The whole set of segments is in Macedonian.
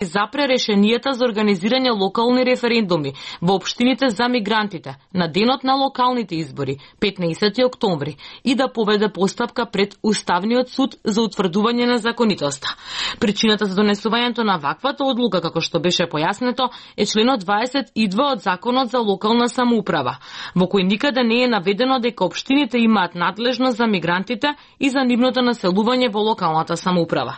запре решенијата за организирање локални референдуми во општините за мигрантите на денот на локалните избори, 15 октомври, и да поведе постапка пред Уставниот суд за утврдување на законитоста. Причината за донесувањето на ваквата одлука, како што беше појаснето, е членот 22 од Законот за локална самоуправа, во кој никаде не е наведено дека општините имаат надлежност за мигрантите и за нивното населување во локалната самоуправа.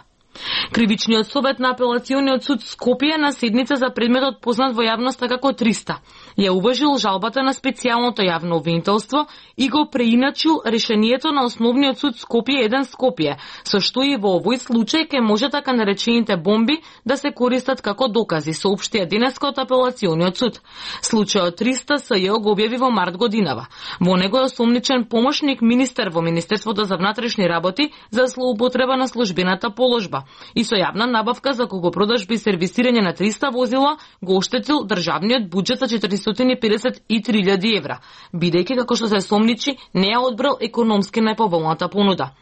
Кривичниот совет на Апелациониот суд Скопје на седница за предметот познат во јавноста како 300 ја уважил жалбата на специјалното јавно обвинителство и го преиначил решението на Основниот суд Скопје 1 Скопје, со што и во овој случај ке може така наречените бомби да се користат како докази, соопштија денеска од Апелациониот суд. Случајот 300 СЈ го објави во март годинава. Во него е осомничен помошник министер во Министерството за внатрешни работи за злоупотреба на службената положба и со јавна набавка за купопродажби и сервисирање на 300 возила го оштетил државниот буџет за 453.000 евра, бидејќи, како што се сомничи, не ја одбрал економски најповолната понуда.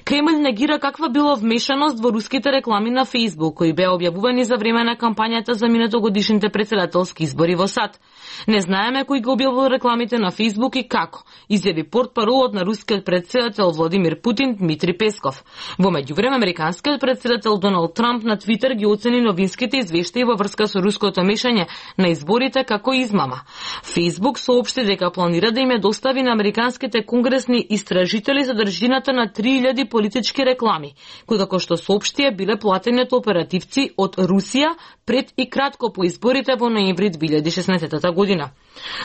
Кремљ негира каква било вмешаност во руските реклами на Facebook, кои беа објавувани за време на кампањата за минатогодишните председателски избори во САД. Не знаеме кој го објавил рекламите на Facebook и како, изјави портпаролот на рускиот председател Владимир Путин Дмитри Песков. Во меѓувреме, американскиот председател Доналд Трамп на Твитер ги оцени новинските извештаи во врска со руското мешање на изборите како измама. Facebook соопшти дека планира да им ја достави на американските конгресни истражители содржината на 3000 политички реклами, кои, како што соопштија, биле платени од оперативци од Русија пред и кратко по изборите во ноември 2016 година.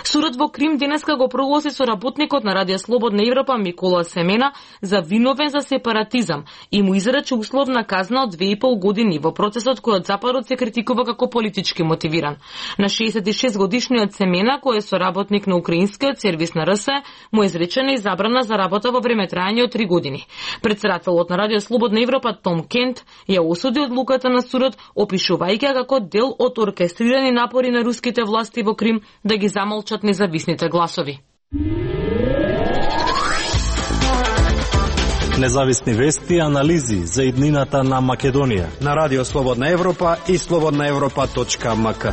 Судот во Крим денеска го прогласи со работникот на Радио Слободна Европа Микола Семена за виновен за сепаратизам и му изрече условна казна од 2,5 години во процесот кој од западот се критикува како политички мотивиран. На 66 годишниот Семена, кој е соработник на украинскиот сервис на РС, му е изречена и забрана за работа во време трајање од 3 години. Председателот на Радио Слободна Европа Том Кент ја осуди одлуката на судот, опишувајќи како дел од оркестрирани напори на руските власти во Крим да ги замолчат независните гласови. Независни вести и анализи за иднината на Македонија на Радио Слободна Европа и slobodnaevropa.mk.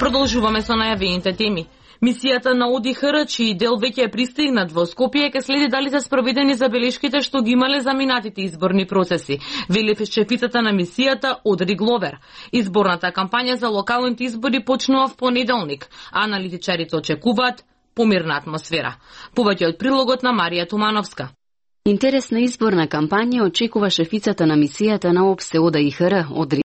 Продолжуваме со најавените теми. Мисијата на ОДИХР, чиј дел веќе е пристигнат во Скопје, ќе следи дали се спроведени забелешките што ги имале за минатите изборни процеси, вели шефицата на мисијата Одри Гловер. Изборната кампања за локалните избори почнува в понеделник, а аналитичарите очекуваат помирна атмосфера. Повеќе од прилогот на Марија Тумановска. Интересна изборна кампања очекува шефицата на мисијата на ОДИХР Одри